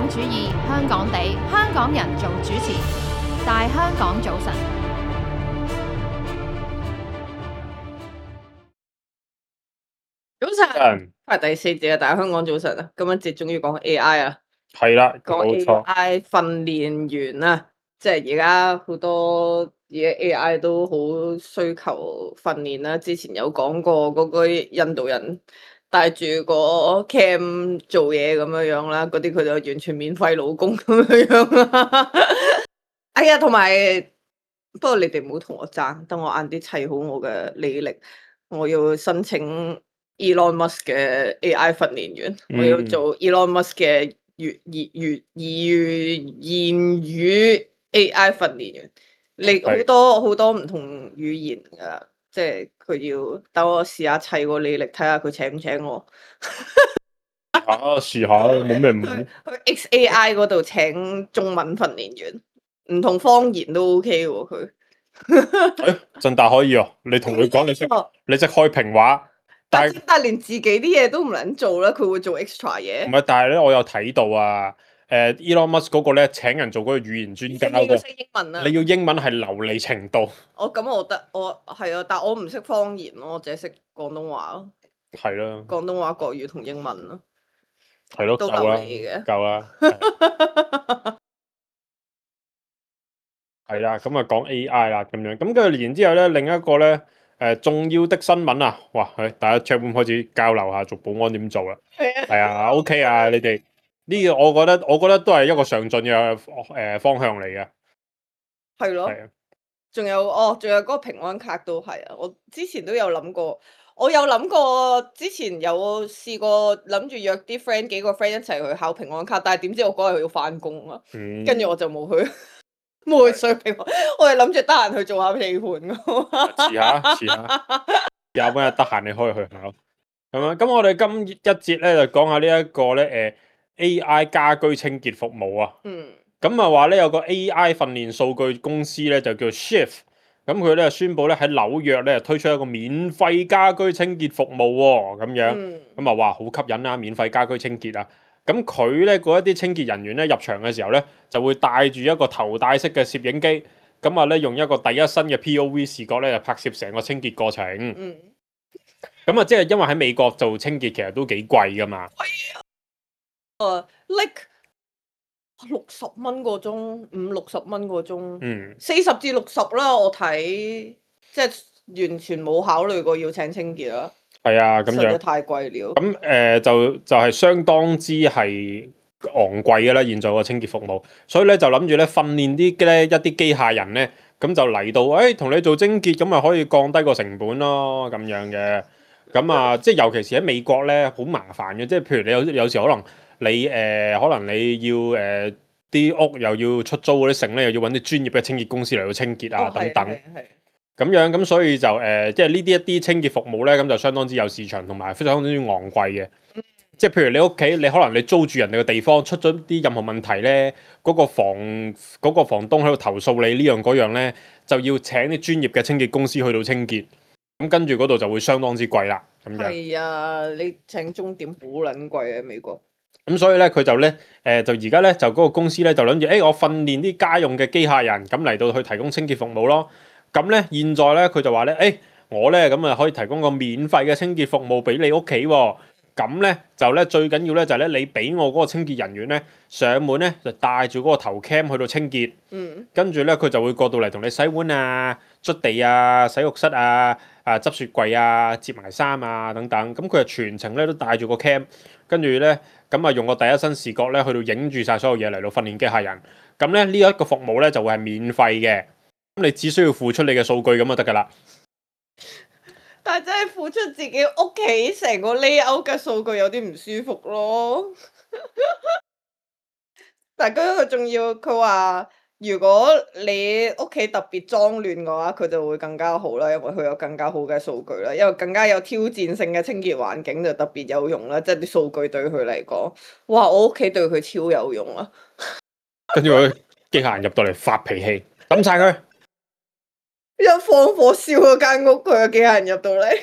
主義，香港地，香港人做主持，大香港早晨。早晨，係第四節啊！大家香港早晨啊！今一節終於講 AI 啊，係啦，講冇錯。AI 訓練員啊，即係而家好多嘢 AI 都好需求訓練啦。之前有講過嗰個印度人帶住個 cam 做嘢咁樣樣啦，嗰啲佢就完全免費勞工咁樣樣啦。哎呀，同埋不過你哋唔好同我爭，等我晏啲砌好我嘅履歷，我要申請 Elon Musk 嘅 AI 訓練員，我要做 Elon Musk 嘅言語 AI 訓練員。你好多唔同語言噶，即係佢要等我試下砌個履歷，睇下佢請唔請我。試下冇咩唔好。去 XAI 嗰度請中文訓練員，唔同方言都 OK 喎佢。振達可以哦，你同佢講你識開平話，但係連自己啲嘢都唔能做啦，佢會做 extra 嘢。唔係，但係咧我有睇到啊，Elon Musk 嗰個咧請人做嗰個語言專家你要識英文啊！你要英文係流利程度。咁我得，我係啊，但我唔識方言咯，我淨係識廣東話咯。係咯。廣東話、國語同英文咯。係咯，都流利嘅。夠啦。係啦，咁啊講 AI 啦，咁樣，咁跟住然之後咧，另一個咧，重要的新聞啊，哇，大家 chat room 開始交流下做保安點做啦，係啊，OK 啊，你哋呢個我覺得都係一個上進嘅方向嚟嘅，係咯，仲有嗰個平安卡都係啊，我之前都有諗過，之前有試過諗住約啲 friend 幾個 friend 一齊去考平安卡，但係點知我嗰日要翻工啊，跟住我就冇去。冇去水平，我係諗住得閒去做下地盤㗎。遲下，有冇日得閒你可以去考。咁樣，咁我哋今一節咧就講下呢一個咧AI 家居清潔服務啊。咁啊話咧有個 AI 訓練數據公司咧就叫 Shift，咁佢咧宣布咧喺紐約咧推出一個免費家居清潔服務喎，咁樣，咁啊話好吸引啦，免費家居清潔啊。咁佢咧嗰一啲清潔人員咧入場嘅時候咧，就會帶住一個頭戴式嘅攝影機，咁啊咧用一個第一身嘅 POV 視覺咧，就拍攝成個清潔過程。咁啊，即係因為喺美國做清潔其實都幾貴噶嘛。like 60蚊個鐘，50-60蚊個鐘，40至60啦，我睇，即係完全冇考慮過要請清潔啦。係啊，咁樣實在太貴了。咁就係相當之係昂貴嘅啦，現在個清潔服務，所以咧就諗住咧訓練一啲機械人咧，咁就嚟到，同你做清潔，咁咪可以降低個成本咯，咁樣嘅。咁啊，即係尤其是喺美國咧，好麻煩嘅，即係譬如你有時可能你要啲屋又要出租嗰啲剩咧，又要揾啲專業嘅清潔公司嚟到清潔啊，等等。咁樣咁所以就即係呢啲一啲清潔服務咧，咁就相當之有市場，同埋非常之昂貴嘅。即係譬如你屋企，你可能你租住人哋嘅地方出咗啲任何問題咧，嗰個房東喺度投訴你呢樣嗰樣咧，就要請啲專業嘅清潔公司去到清潔。咁跟住嗰度就會相當之貴啦。咁樣係啊，你請鐘點好撚貴啊，美國。咁所以咧，佢就咧就而家咧就嗰個公司咧就諗住，我訓練啲家用嘅機械人，咁嚟到去提供清潔服務咯。咁咧，現在咧佢就話咧，我咧咁啊可以提供個免費嘅清潔服務俾你屋企喎。咁咧就咧最緊要咧就係咧你俾我嗰個清潔人員咧上門咧就帶住嗰個頭 cam 去到清潔。跟住咧佢就會過到嚟同你洗碗啊、捽地啊、洗浴室啊、執雪櫃啊、摺埋衫啊等等。咁佢就全程咧都帶住個 cam，跟住咧咁啊用個第一身視覺咧去到影住晒所有嘢嚟到訓練機械人。咁咧呢一個服務咧就會係免費嘅。咁你只需要付出你嘅數據咁就得噶啦。但係真係付出自己屋企成個 layout 嘅數據有啲唔舒服咯。但係佢仲要佢話，如果你屋企特別髒亂嘅話，佢就會更加好啦，因為佢有更加好嘅數據啦，因為更加有挑戰性嘅清潔環境就特別有用啦。即係啲數據對佢嚟講，哇！我屋企對佢超有用啊。跟住佢機械人入到嚟發脾氣，抌晒佢。一放火燒嗰間屋，佢嘅機械人入到嚟。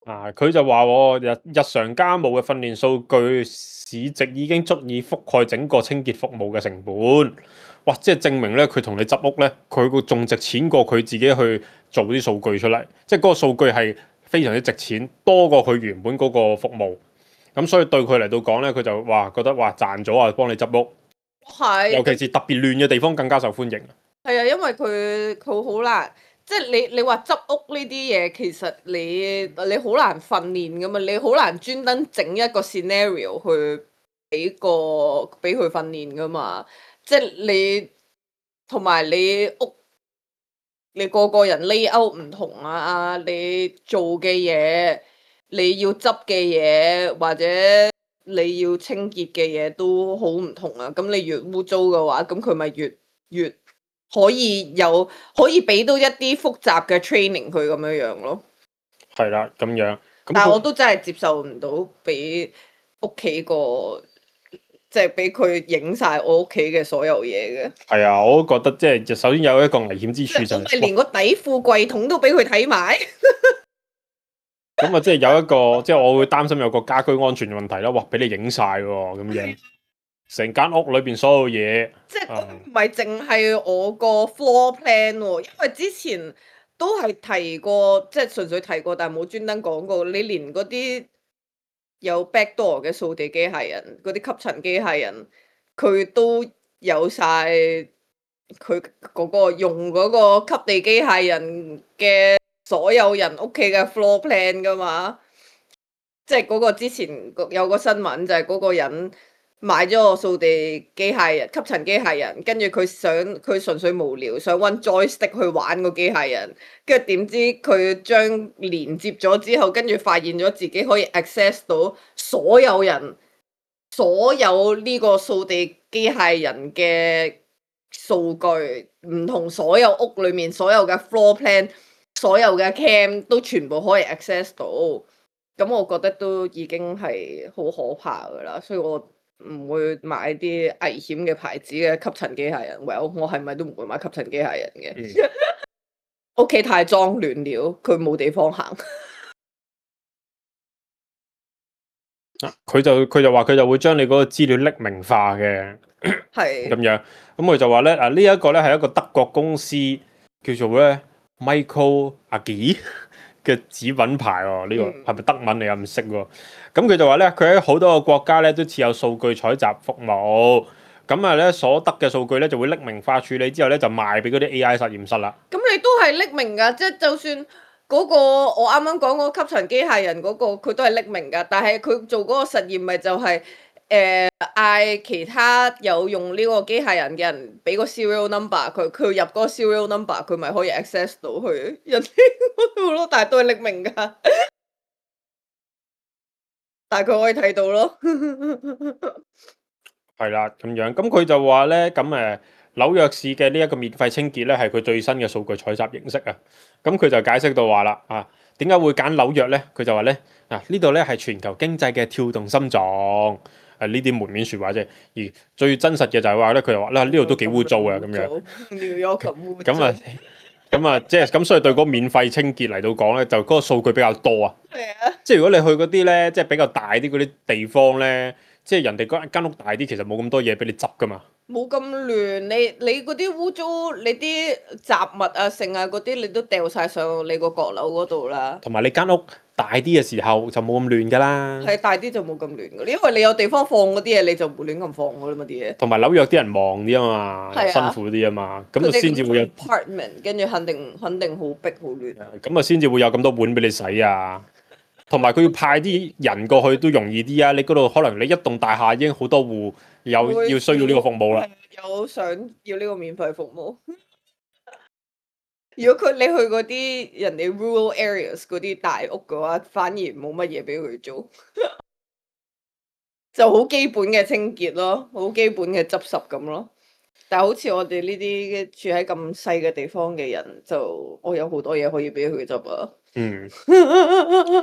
佢就話喎，日常家務嘅訓練數據市值已經足以覆蓋整個清潔服務嘅成本。哇！即係證明咧，佢同你執屋咧，佢個仲值錢過佢自己去做啲數據出嚟。即係嗰個數據係非常之值錢，多過佢原本嗰個服務。咁所以對佢嚟到講咧，佢就覺得賺咗啊，幫你執屋。係，尤其是特別亂嘅地方更加受歡迎。係啊，因為佢好難，即係你話執屋呢啲嘢，其實你好難訓練噶嘛，你好難專登整一個 scenario 去俾佢訓練噶嘛，即係你同埋你屋，你個個人 layout 唔同啊，你做嘅嘢，你要執嘅嘢或者你要清潔嘅嘢都好唔同啊，咁你越污糟嘅話，咁佢咪越可以俾到一啲複雜嘅 training 佢咁樣樣咯。係啦，咁樣。但係我都真係接受唔到俾屋企個，即係俾佢影晒我屋企嘅所有嘢嘅。係啊，我都覺得即係首先有一個危險之處就係連個底褲櫃桶都俾佢睇埋。咁啊，即係有一個，即係我會擔心有個家居安全嘅問題啦。哇，俾你影晒喎，咁樣成間屋裏邊所有嘢，即係唔係淨係我個 floor plan 喎，因為之前都係提過，即係純粹提過，但係冇專登講過。你連嗰啲有 backdoor 嘅掃地機械人，嗰啲吸塵機械人，佢都有晒佢嗰個用嗰個吸地機械人嘅所有人屋企嘅 floor plan 噶嘛。即係嗰個之前有個新聞就係嗰個人買咗個掃地機械人、吸塵機械人，跟住佢純粹無聊，想揾 joystick 去玩個機械人，跟住點知佢將連接咗之後，跟住發現咗自己可以 access 到所有人、所有呢個掃地機械人嘅數據，唔同所有屋裏面所有嘅 floor plan、所有嘅 cam 都全部可以 access 到。咁我覺得都已經係好可怕噶啦，所以我唔會買啲危險嘅牌子嘅吸塵機械人。Well，我係咪都唔會買吸塵機械人嘅？屋企太髒亂了，佢冇地方行。佢就話佢就會將你嗰個資料匿名化嘅，係咁樣。咁佢就話咧呢一個咧係一個德國公司叫做咧 Michael Agi嘅子品牌喎，呢個係咪德文你又唔識喎？咁佢就話咧，佢喺好多個國家咧都設有數據採集服務，咁啊咧所得嘅數據咧就會匿名化處理之後咧就賣俾嗰啲 AI 實驗室啦。咁你都係匿名㗎，即係就算嗰個我啱啱講嗰個吸塵機械人嗰個，佢都係匿名㗎，但係佢做嗰個實驗咪就係嗌其他有用呢個機械人嘅人俾個 serial number，佢入嗰個 serial number，佢咪可以 access 到去人哋嗰度咯，但係都係匿名㗎，但係佢可以睇到咯。係啦，咁樣，咁佢就話咧，咁紐約市嘅呢一個免費清潔咧係佢最新嘅數據採集形式啊。咁佢就解釋到話啦，點解會揀紐約咧？佢就話咧，呢度咧係全球經濟嘅跳動心臟。呢啲門面説話啫，而最真實嘅就係話咧，佢又話呢度都幾污糟啊，咁樣。咁啊，即係咁，所以對嗰個免費清潔嚟到講咧，就嗰個數據比較多啊。係啊。即係如果你去嗰啲咧，即係比較大啲嗰啲地方咧，即係人哋間屋大啲，其實冇咁多嘢俾你執噶嘛。冇咁亂，你嗰啲污糟，你啲雜物啊、剩啊嗰啲，你都掉晒上你個閣樓嗰度啦。同埋你間屋大啲嘅時候就冇咁亂噶啦。係大啲就冇咁亂噶，因為你有地方放嗰啲嘢，你就唔會亂咁放噶啦嘛啲嘢。同埋紐約啲人忙啲啊嘛，係啊辛苦啲啊嘛，咁就先至會有 apartment，跟住肯定好逼好亂。咁啊，先至會有咁多碗俾你洗啊。同埋佢要派啲人過去都容易啲啊！你嗰度可能你一棟大廈已經好多戶要需要呢個服務啦。有想要呢個免費服務。如果你去嗰啲人哋 rural areas 嗰啲大屋嘅話，反而冇乜嘢俾佢做，就好基本嘅清潔咯，好基本嘅執拾咁咯。但係好似我哋呢啲住喺咁細嘅地方嘅人，就我有好多嘢可以俾佢執啊。係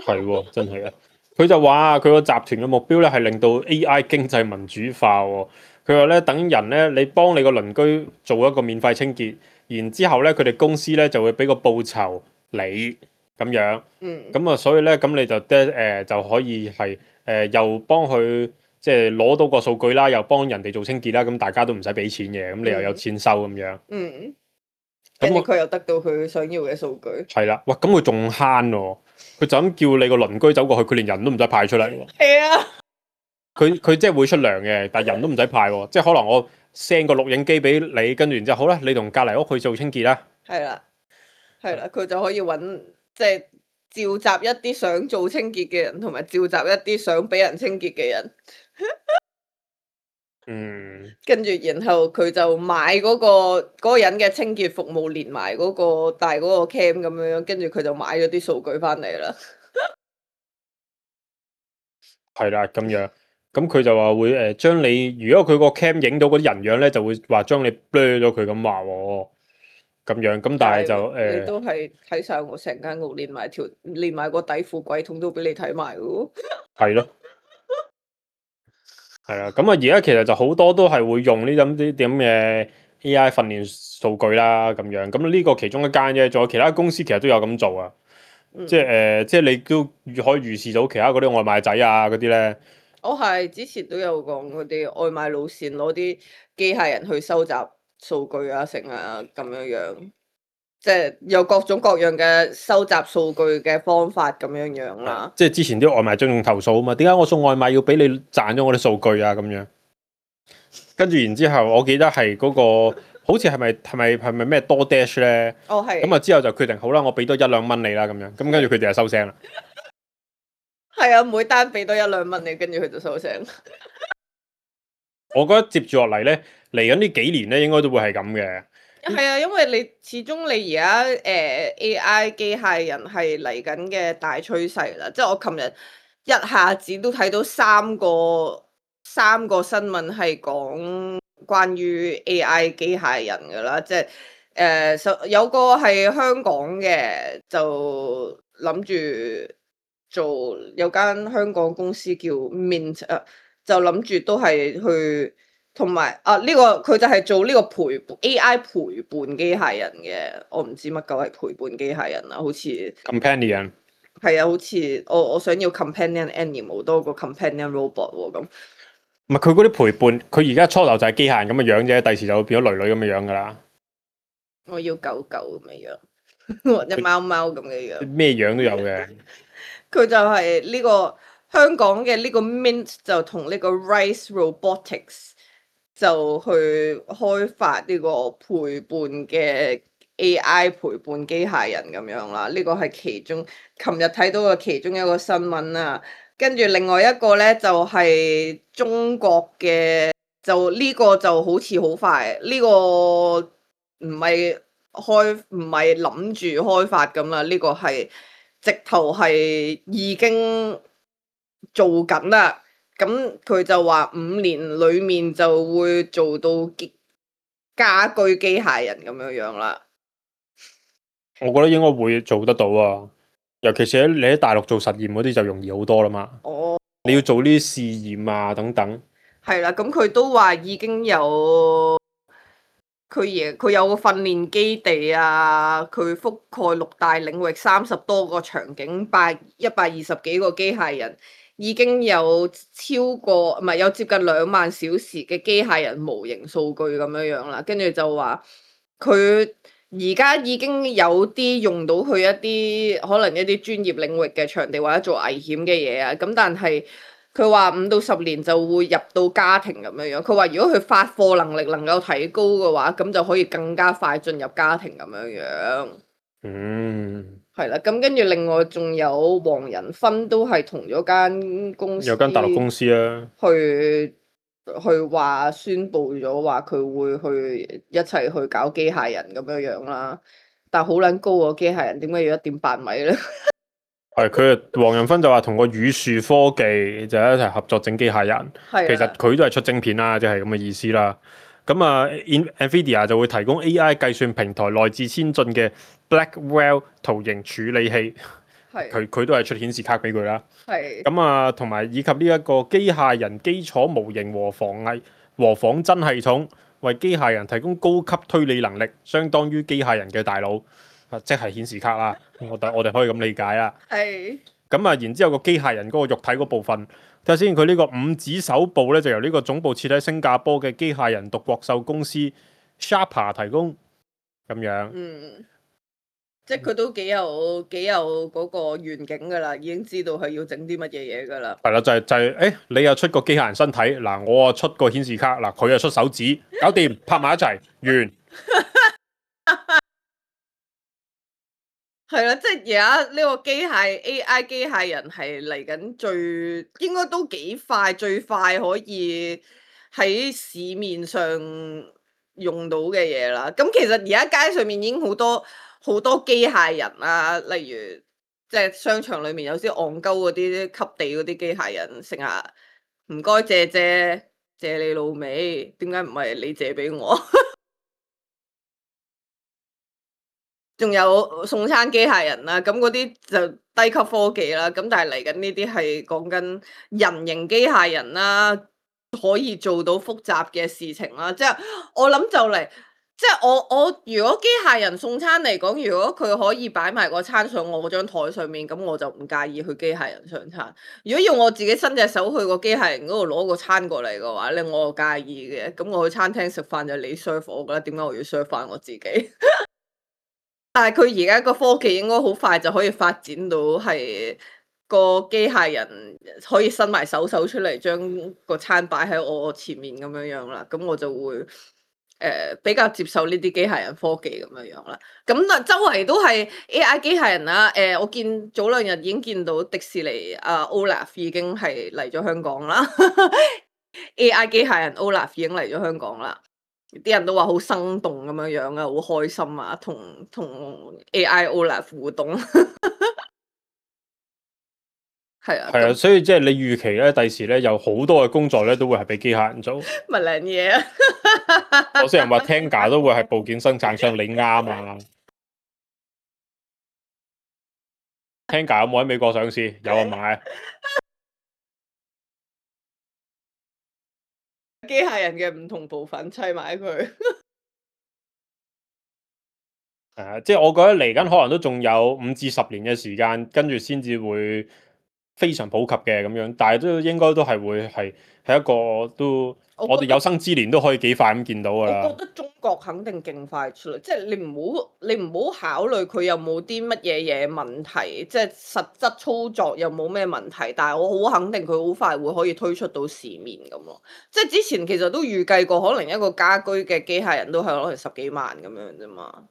喎，真係啊！佢就話佢個集團嘅目標咧係令到 AI 經濟民主化喎。佢話咧等人咧，你幫你個鄰居做一個免費清潔，然之後咧佢哋公司咧就會俾個報酬你，咁樣。嗯，咁啊，所以咧，咁你就就可以係又幫佢即係攞到個數據啦，又幫人哋做清潔啦，咁大家都唔使俾錢嘅，咁你又有錢收咁樣。嗯，咁我跟住佢又得到佢想要嘅數據。係啦，哇！咁佢仲慳喎，佢就咁叫你個鄰居走過去，佢連人都唔使派出嚟喎。係啊，佢即係會出糧嘅，但係人都唔使派喎，即係可能我 send 個錄影機俾你，跟住然之後好啦，你同隔離屋去做清潔啦。係啦，係啦，佢就可以揾即係召集一啲想做清潔嘅人，同埋召集一啲想俾人清潔嘅人。嗯，跟住然後佢就買嗰個人嘅清潔服務，連埋嗰個帶嗰個 cam 咁樣，跟住佢就買咗啲數據翻嚟啦。係啦，咁樣，咁佢就話會將你，如果佢個 cam 影到嗰啲人樣咧，就會話將你 blur 咗佢咁話喎，咁樣，咁但係就你都係睇晒我成間屋，連埋個底褲櫃桶都俾你睇埋嘅喎。係咯，係啊，咁啊而家其實就好多都係會用呢啲咁嘅 AI 訓練數據啦，咁樣，咁呢個其中一間啫，仲有其他公司其實都有咁做啊。即係即係你都可以預示到其他嗰啲外賣仔啊嗰啲咧。我係之前都有講嗰啲外賣路線攞啲機械人去收集數據啊，成啊咁樣樣，即係有各種各樣嘅收集數據嘅方法咁樣樣啦。即係之前啲外賣仲用投訴啊嘛，點解我送外賣要俾你賺咗我啲數據啊咁樣？跟住然之後，我記得係嗰個好似係咪咩多 dash 咧？哦，係。咁啊之後就決定好啦，我俾多1-2蚊你啦咁樣。咁跟住佢哋就收聲啦。係啊，每單俾多1-2蚊你，跟住佢就收聲。我覺得接住落嚟咧，嚟緊呢幾年咧，應該都會係咁嘅。係啊，因為你始終你而家AI 機械人係嚟緊嘅大趨勢啦。即係我琴日一下子都睇到三個新聞係講關於 AI 機械人㗎啦。即係有個係香港嘅，就諗住做有間香港公司叫 Mint 啊，就諗住都係去。同埋呢個佢就係做呢個AI 陪伴機械人嘅，我唔知乜鳩係陪伴機械人啦，好似 companion 係啊，好似我想要 companion animal 多過 companion robot 喎咁。唔係佢嗰啲陪伴，佢而家初頭就係機械人咁嘅樣啫，第時就會變咗女咁嘅樣噶啦。我要狗狗咁嘅樣，或者貓貓咁嘅樣，咩樣都有嘅。佢就係呢個香港嘅呢個 Mint 就同呢個 Rise Robotics。就去開發呢個陪伴嘅 AI 陪伴機械人咁樣啦，呢個係其中琴日睇到嘅其中一個新聞啊。跟住另外一個咧就係中國嘅，就呢個就好似好快，呢個唔係諗住開發咁啦，呢個係直頭係已經做緊啦。咁佢就話5年裏面就會做到家居機械人咁樣樣啦。我覺得應該會做得到啊，尤其是你喺大陸做實驗嗰啲就容易好多啦嘛。哦，你要做呢啲試驗啊等等。係啦，咁佢都話已經有佢有個訓練基地啊，佢覆蓋6大領域，30多個場景，120幾個機械人。已經有超過唔係有接近2萬小時嘅機械人模型數據咁樣樣啦，跟住就話佢而家已經有啲用到去一啲可能一啲專業領域嘅場地或者做危險嘅嘢啊，咁但係佢話5到10年就會入到家庭咁樣樣。佢話如果佢發貨能力能夠提高嘅話，咁就可以更加快進入家庭咁樣樣。係啦，咁跟住另外仲有黃仁勳都係同咗間公司，有間大陸公司啊，去話宣佈咗話佢會去一齊去搞機械人咁樣樣啦。但係好撚高個機械人，點解要1.8米咧？係佢黃仁勳就話同個宇樹科技就一齊合作整機械人，其實佢都係出晶片啦，即係咁嘅意思啦。咁啊 ，NVIDIA 就會提供 AI 計算平台內置先進嘅 Blackwell 圖形處理器，佢都係出顯示卡俾佢啦。咁啊，同埋以及呢一個機械人基礎模型和仿真系統，為機械人提供高級推理能力，相當於機械人嘅大腦。即係顯示卡啦。我哋可以咁理解啦。係咁啊，然之後個機械人嗰個肉體嗰部分，睇下先，佢呢個五指手部咧就由呢個總部設喺新加坡嘅機械人獨角獸公司 Sharpa 提供，咁樣。即係佢都幾有嗰個願景噶啦，已經知道係要整啲乜嘢嘢噶啦。係啦，你又出個機械人身體，嗱我啊出個顯示卡，嗱佢又出手指，搞掂，拍埋一齊，完。係啦，即係而家呢個AI 機械人係嚟緊應該都幾快，最快可以喺市面上用到嘅嘢啦。咁其實而家街上面已經好多機械人啊，例如即係商場裏面有啲戇鳩嗰啲吸地嗰啲機械人，成日唔該借你老味，點解唔係你借俾我？仲有送餐機械人啦，咁嗰啲就低級科技啦。咁但係嚟緊呢啲係講緊人形機械人啦，可以做到複雜嘅事情啦。即係我諗就嚟，即係我如果機械人送餐嚟講，如果佢可以擺埋個餐上我嗰張台上面，咁我就唔介意去機械人上餐。如果要我自己伸隻手去個機械人嗰度攞個餐過嚟嘅話咧，我就介意嘅。咁我去餐廳食飯就你 serve 我㗎啦，點解我要 serve 翻我自己？但係佢而家個科技應該好快就可以發展到係個機械人可以伸埋手出嚟，將個餐擺喺我前面咁樣樣啦。咁我就會比較接受呢啲機械人科技咁樣樣啦。咁啊，周圍都係 AI 機械人啦。我見早兩日已經見到迪士尼Olaf 已經係嚟咗香港啦。AI 機械人 Olaf 已經嚟咗香港啦。啲人都話好生動咁樣樣啊，好開心啊，同 AI Olaf 互動。係啊，係啊，所以即係你預期咧，第時咧有好多嘅工作咧都會係俾機械人做。咪靚嘢啊！有些人話 Tenga 都會係部件生產商，你啱啊。Tenga 有冇喺美國上市？有啊，買。機械人嘅唔同部分砌埋佢。即係我覺得嚟緊可能都仲有5至10年嘅時間，跟住先至會非常普及嘅咁樣，但係都應該都係會係一個都我哋有生之年都可以幾快咁見到㗎啦。我覺得中國肯定勁快出嚟，即係你唔好考慮佢有冇啲乜嘢問題，即係實質操作有冇咩問題，但係我好肯定佢好快會可以推出到市面咁咯。即係之前其實都預計過，可能一個家居嘅機械人都係可能10幾萬咁樣啫嘛。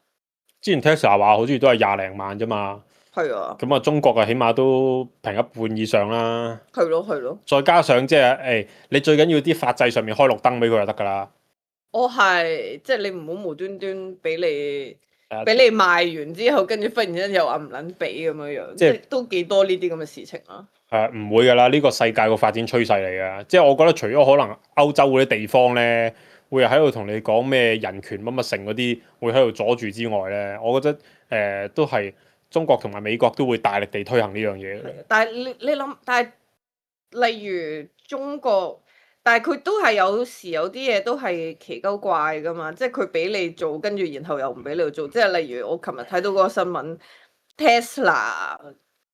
之前 Tesla 話好似都係20零萬啫嘛。係啊。咁啊，中國啊，起碼都平一半以上啦。係咯。再加上即係你最緊要啲法制上面開綠燈俾佢就得㗎啦。係，即係你唔好無端端俾你賣完之後，跟住忽然之間又話唔撚俾咁樣樣，即係都幾多呢啲咁嘅事情啊。唔會㗎啦，呢個世界個發展趨勢嚟㗎。即係我覺得除咗可能歐洲嗰啲地方咧，會喺度同你講咩人權乜乜成嗰啲，會喺度阻住之外咧，我覺得都係中國同埋美國都會大力地推行呢樣嘢。但係你諗，但係例如中國，但係佢都係有時有啲嘢都係奇鳩怪噶嘛，即係佢俾你做，跟住然後又唔俾你做，即係例如我琴日睇到嗰個新聞 Tesla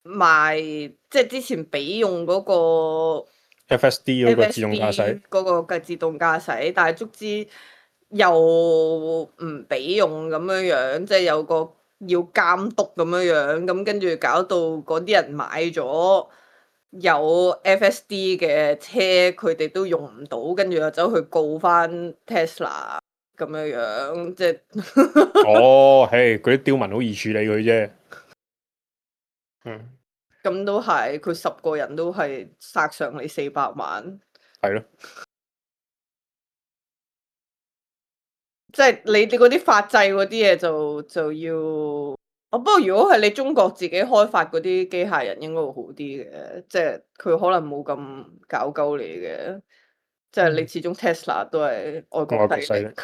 賣，即係之前俾用嗰個 FSD 嗰個自動駕駛嗰個嘅自動駕駛，但係足之又唔俾用咁樣樣，即係有個要監督咁樣樣，咁跟住搞到嗰啲人買咗有 FSD 嘅車，佢哋都用唔到，跟住又走去告翻 Tesla 咁樣樣，即係哦，嗰啲刁民好易處理佢啫。咁都係，佢10個人都係殺上你400萬。係咯。即係你嗰啲法制嗰啲嘢就要。不過如果係你中國自己開發嗰啲機械人，應該會好啲嘅，即係佢可能冇咁搞鳩你嘅，即係你始終 Tesla 都係外國勢力。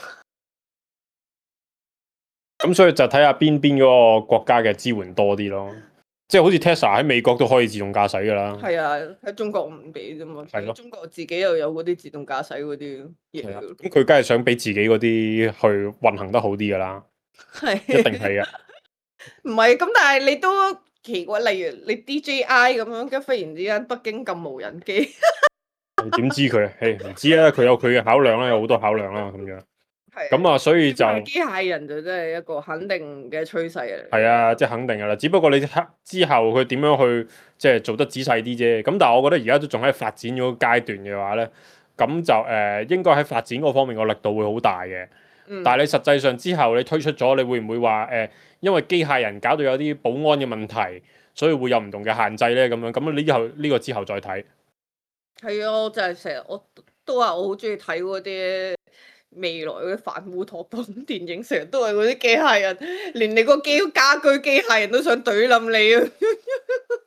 咁所以就睇下邊嗰個國家嘅支援多啲咯。即係好似 Tesla 喺美國都可以自動駕駛㗎啦。係啊，喺中國唔俾啫嘛。係咯。中國自己又有嗰啲自動駕駛嗰啲嘢。咁佢梗係想俾自己嗰啲去運行得好啲㗎啦。係。一定係嘅。唔係咁，但係你都奇怪，例如你 DJI 咁樣，跟忽然之間北京禁無人機，你點知佢？唔知啊，佢有佢嘅考量啦，有好多考量啦咁樣。咁啊，所以就機械人就真係一個肯定嘅趨勢嚟。係啊，即係肯定噶啦。只不過你之後佢點樣去即係做得仔細啲啫。咁但係我覺得而家都仲喺發展嗰個階段嘅話咧，咁就應該喺發展嗰方面個力度會好大嘅。但係你實際上之後你推出咗，你會唔會話因為機械人搞到有啲保安嘅問題，所以會有唔同嘅限制咧？咁樣咁呢個之後再睇。係啊，就係成日我都話我好中意睇嗰啲未來嗰啲反烏托邦電影，成日都係嗰啲機械人，連你個家居機械人都想懟冧你啊！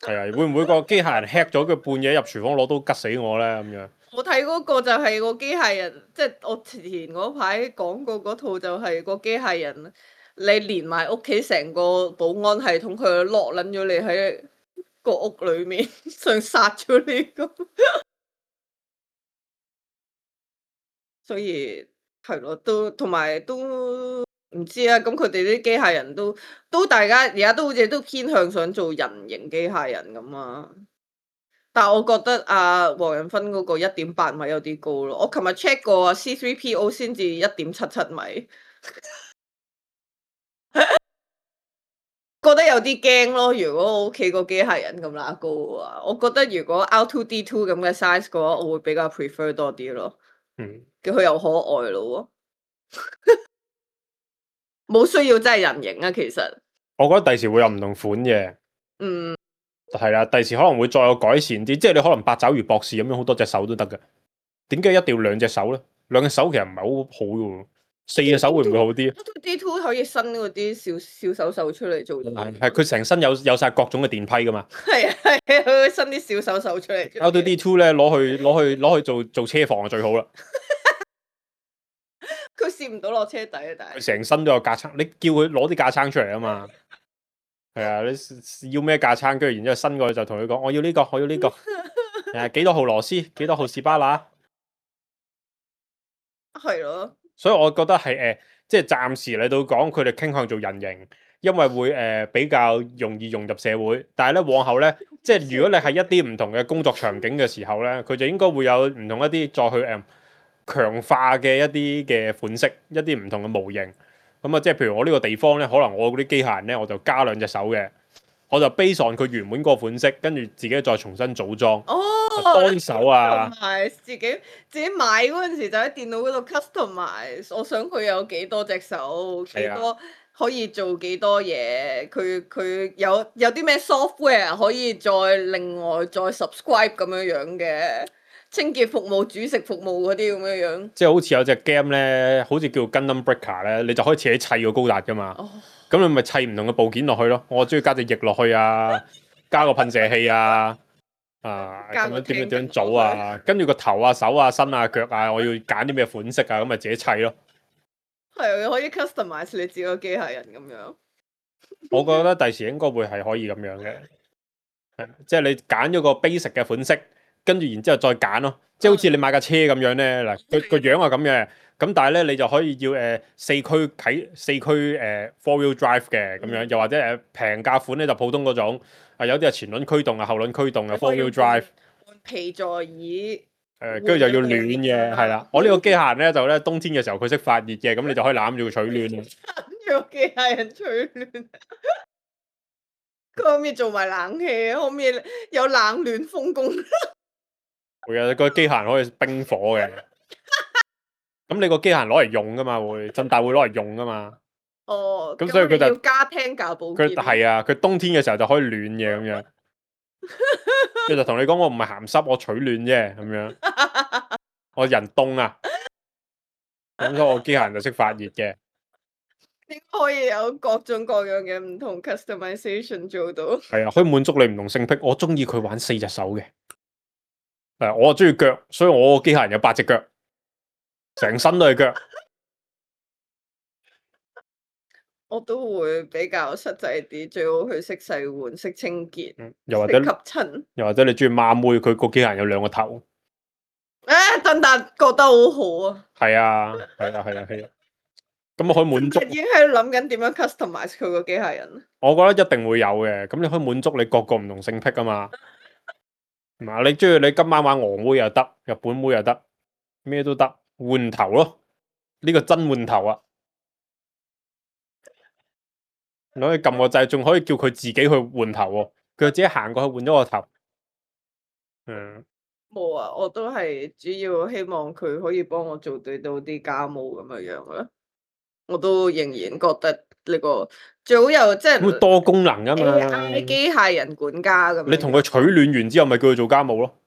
係啊，會唔會個機械人 hack 咗佢半夜入廚房攞刀吉死我咧？咁樣我睇嗰個就係個機械人，即係我前嗰排講過嗰套就係個機械人，你連埋屋企成個保安系統，佢落撚咗你喺個屋裏面，想殺咗你咁。所以係咯，都同埋都唔知啊。咁佢哋啲機械人都大家而家都好似都偏向想做人形機械人咁啊。但係我覺得黃仁勳嗰個1.8米有啲高咯。我琴日 check 過C3PO 先至1.77米，覺得有啲驚咯。如果我屋企個機械人咁乸高嘅話，我覺得如果 R2D2 咁嘅 size 嘅話，我會比較 prefer 多啲咯。叫佢又可愛咯，冇需要真係人形啊。其實我覺得第時會有唔同款嘅，係啦，第時可能會再有改善啲，即係你可能八爪魚博士咁樣好多隻手都得嘅，點解一定要兩隻手咧？兩隻手其實唔係好好嘅，4隻手會唔會好啲？R2D2 可以伸嗰啲小手出嚟做，係佢成身有晒各種嘅電批噶嘛。係啊，佢會伸啲小手出嚟。R2D2 咧攞去做車房就最好啦。佢試唔到落車底啊，但係佢成身都有架撐，你叫佢攞啲架撐出嚟啊嘛。係啊，你要咩架撐，跟住然之後伸過去就同佢講，我要呢個，我要呢個。幾多號螺絲，幾多號士巴拿。係咯。所以我覺得係即係暫時嚟到講，佢哋傾向做人形，因為會比較容易融入社會。但係咧往後咧，即係如果你係一啲唔同嘅工作場景嘅時候咧，佢就應該會有唔同一啲再去強化嘅一啲嘅款式，一啲唔同嘅模型。咁啊，即係譬如我呢個地方咧，可能我嗰啲機械人咧，我就加2隻手嘅，我就 base on 佢原本嗰個款式，跟住自己再重新組裝。單手啊，同埋自己買嗰陣時就喺電腦嗰度 customize，我想佢有幾多隻手，幾多可以做幾多嘢，佢有啲咩 software 可以再另外再 subscribe 咁樣嘅。清潔服務、煮食服務嗰啲咁樣，即係好似有隻 game 咧，好似叫 Gundam Breaker 咧，你就可以自己砌個高達噶嘛。咁你咪砌唔同嘅部件落去咯。我中意加隻翼落去啊，加個噴射器啊，咁樣點樣組啊，跟住個頭啊、手啊、身啊、腳啊，我要揀啲咩款式啊，咁咪自己砌咯。係可以 customize 你自己個機械人咁樣。我覺得第時應該會係可以咁樣嘅，即係你揀咗個 basic 嘅款式。跟住然之後再揀咯，即係好似你買架車咁樣咧，嗱佢個樣係咁嘅，咁但係咧你就可以要4驅4wheel drive 嘅咁樣，又或者平價款咧就普通嗰種，有啲係前輪驅動啊、後輪驅動啊 4 wheel drive。換皮座椅。跟住就要暖嘅，係啦。我呢個機械人咧就咧冬天嘅時候佢識發熱嘅，咁你就可以攬住佢取暖。攬住個機械人取暖。佢可唔可以做埋冷氣？可唔可以有冷暖風功？會啊，個機械人可以冰火嘅。咁你個機械人攞嚟用噶嘛？會震大會攞嚟用噶嘛？咁所以佢就要加廳教保健。佢係啊，佢冬天嘅時候就可以暖嘅咁樣。佢就同你講，我唔係鹹濕，我取暖啫咁樣。我人凍啊，咁所以我機械人就識發熱嘅。應該可以有各種各樣嘅唔同 customization 做到。係啊，可以滿足你唔同性癖。我中意佢玩4隻手嘅。我中意腳，所以我個機械人有8隻腳，成身都係腳。我都會比較實際啲，最好佢識洗碗、識清潔、又或者吸塵。又或者你中意孖妹，佢個機械人有2個頭。鄧達覺得好好啊。係啊，係啊，係啊，係啊。咁可以滿足。已經喺度諗緊點樣 customize 佢個機械人。我覺得一定會有嘅，咁你可以滿足你各個唔同性癖啊嘛。你中意你今晚玩俄妹又得，日本妹又得，咩都得，換頭咯，呢個真換頭啊！你可以撳個掣，仲可以叫佢自己去換頭喎，佢自己行過去換咗個頭。冇啊，我都係主要希望佢可以幫我做到啲家務咁樣啦。我都仍然覺得呢個最好有即係會多功能噶嘛 AI 機械人管家咁樣。你同佢取暖完之後，咪叫佢做家務咯。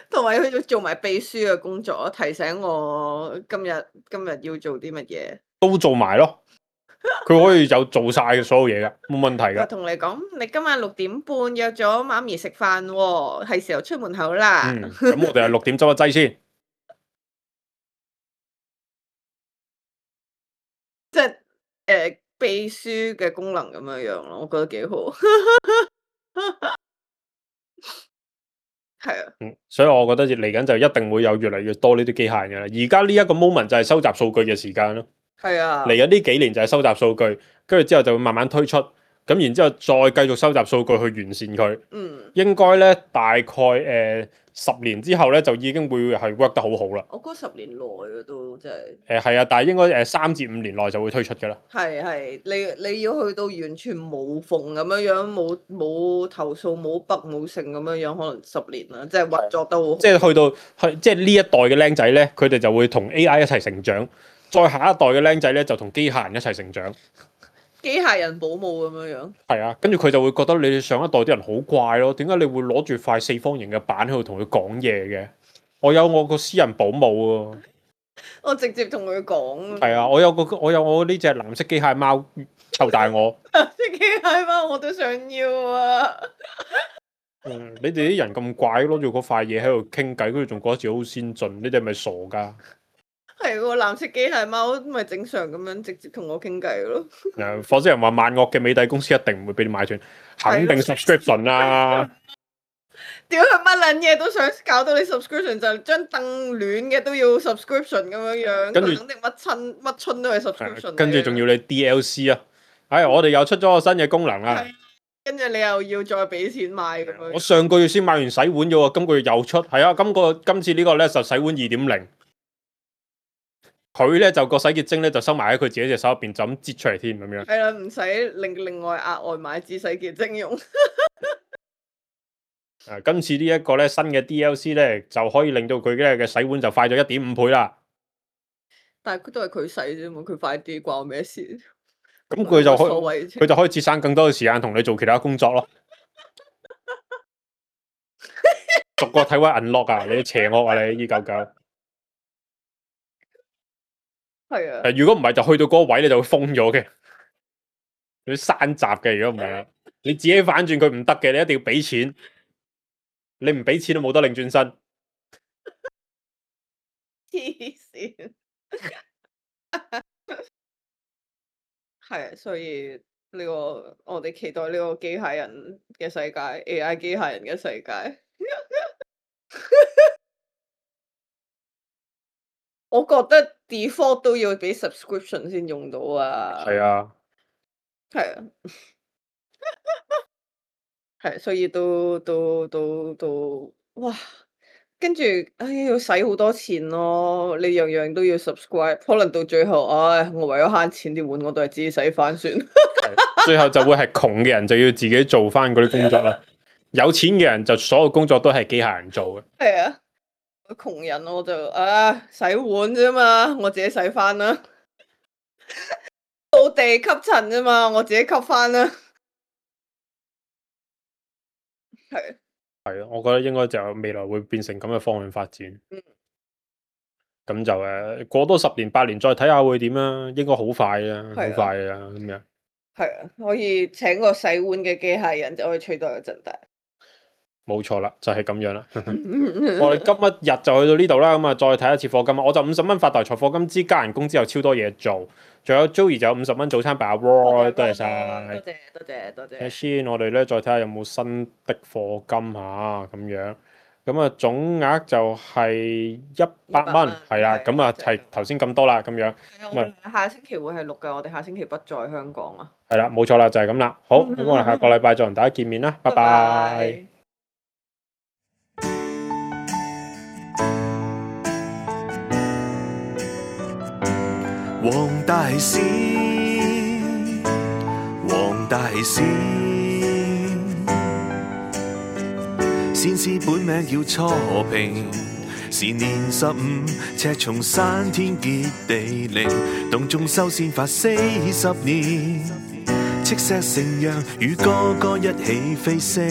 同埋佢要做埋秘書嘅工作，提醒我今日要做啲乜嘢，都做埋咯。佢可以有做晒所有嘢噶，冇問題噶。同你講，你今晚6點半約咗媽咪食飯喎，係時候出門口啦。咁我哋係6點執一劑先。即係秘書嘅功能咁樣樣咯，我覺得幾好。係啊，所以我覺得嚟緊就一定會有越嚟越多呢啲機械人嘅啦。而家呢一個 moment 就係收集數據嘅時間咯。係啊，嚟緊呢幾年就係收集數據，跟住之後就會慢慢推出，咁然之後再繼續收集數據去完善佢。應該咧大概10年之後咧就已經會係 work 得好好啦。我覺得10年內嘅都真係。係啊，但係應該3至5年內就會推出㗎啦。係，你要去到完全無縫咁樣樣，冇投訴冇筆冇剩咁樣樣，可能10年啦，即係運作得好。即係即係呢一代嘅僆仔咧，佢哋就會同 AI 一齊成長，再下一代嘅僆仔咧就同機械人一齊成長。機械人保姆咁樣樣。係啊，跟住佢就會覺得你哋上一代啲人好怪咯，點解你會攞住塊4方形嘅板喺度同佢講嘢嘅？我有我個私人保姆喎。我直接同佢講。係啊，我有我呢隻藍色機械貓湊大我。藍色機械貓我都想要啊！你哋啲人咁怪，攞住嗰塊嘢喺度傾偈，跟住仲覺得自己好先進，你哋係咪傻㗎？係喎，藍色機械貓咪正常咁樣直接同我傾偈咯。火星人話萬惡嘅美帝公司一定唔會俾你買斷，肯定 subscription 啦。屌佢乜撚嘢都想搞到你 subscription，就張凳暖嘅都要 subscription 咁樣樣，跟住肯定乜春都係 subscription。跟住仲要你 DLC 啊！我哋又出咗個新嘅功能啦。跟住你又要再俾錢買咁樣。我上個月先買完洗碗咗喎，今個月又出。係啊，今次呢個咧就洗碗2.0。佢咧就個洗潔精咧就收埋喺佢自己隻手入邊，就咁擠出嚟添咁樣。係啦，唔使另外額外買支洗潔精用。今次呢一個咧新嘅 DLC 咧就可以令到佢嘅洗碗就快咗1.5倍啦。但係都係佢洗啫嘛，佢快啲關我咩事？咁佢就可以節省更多嘅時間同你做其他工作咯。逐個體位 unlock 啊！你邪惡啊！你299。係啊。如果唔係就去到嗰個位你就會封咗嘅，你閂閘嘅。如果唔係，你自己反轉佢唔得嘅，你一定要俾錢。你唔俾錢都冇得擰轉身。黐線。係啊，所以呢個我哋期待呢個機械人嘅世界 ，AI 機械人嘅世界。我覺得 default 都要俾 subscription 先用到啊。係啊。係啊。係，所以都哇！跟住要使好多錢咯，你樣樣都要 subscribe，可能到最後，我為咗慳錢啲碗我都係自己洗翻算。最後就會係窮嘅人就要自己做翻嗰啲工作啦，有錢嘅人就所有工作都係機械人做嘅。係啊，窮人我就洗碗啫嘛，我自己洗翻啦。掃地吸塵啫嘛，我自己吸翻啦。係啊，我覺得應該就未來會變成咁嘅方向發展。咁就過多10年8年再睇下會點啦，應該好快啊，好快啊咁樣。係啊，可以請個洗碗嘅機械人就可以取代個陣大。冇錯啦，就係咁樣啦。我哋今日就去到呢度啦，咁啊再睇一次課金。我就50蚊發大財課金之加人工之後超多嘢做，仲有 Joey 就有50蚊早餐俾阿 Roy，多謝晒。多謝。先，我哋咧再睇下有冇新的課金嚇咁樣。咁啊總額就係100蚊，係啦，咁啊係頭先咁多啦，咁樣。我哋下星期會係錄嘅，我哋下星期不在香港啊。係啦，冇錯啦，就係咁啦。好，咁我哋下個禮拜再同大家見面啦，拜拜。黃大仙，黃大仙，先師本名叫初平，時年15，赤松山天結地靈，洞中修仙法40年，赤石成陽與哥哥一起飛升，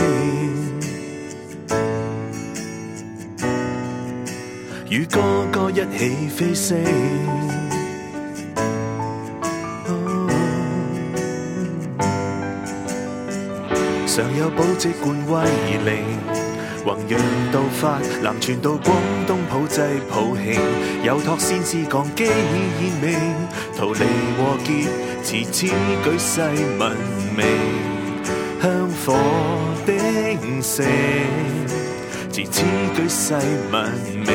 與哥哥一起飛升。上有寶積冠威靈，弘揚道法，南傳到廣東普濟普慶，有託先師降機現命，逃離禍劫，持此舉世聞名，香火鼎盛，持此舉世聞名。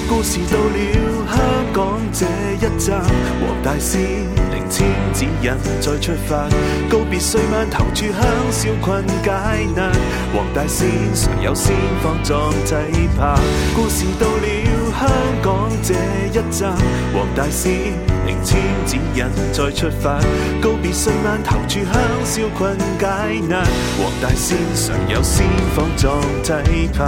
故事到了香港這一站，黃大仙靈籤指引再出發，告別歲晚投炷香消困解難，黃大仙常有仙方壯濟爬。故事到了香港這一站，黃大仙靈籤指引再出發，告別歲晚投炷香消困解難，黃大仙常有仙方壯濟爬。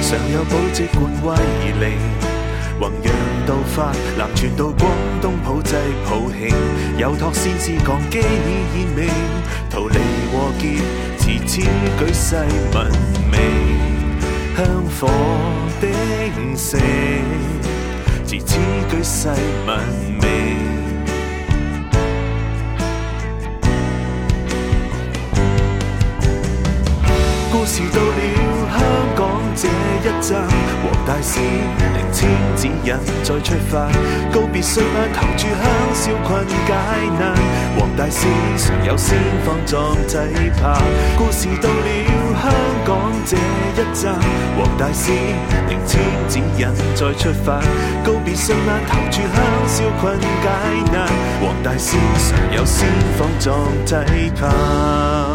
上有寶積冠威靈，弘揚道法，南傳到廣東普濟普慶，有託先師降機現命，逃離禍劫，持此舉世聞名，香火鼎盛，持此舉世聞名。故事到了香港這一站，黃大仙靈籤指引再出發，告別歲晚投炷香消困解難，黃大仙常有仙方壯濟爬。故事到了香港這一站，黃大仙靈籤指引再出發，告別歲晚投炷香消困解難，黃大仙常有仙方壯濟爬。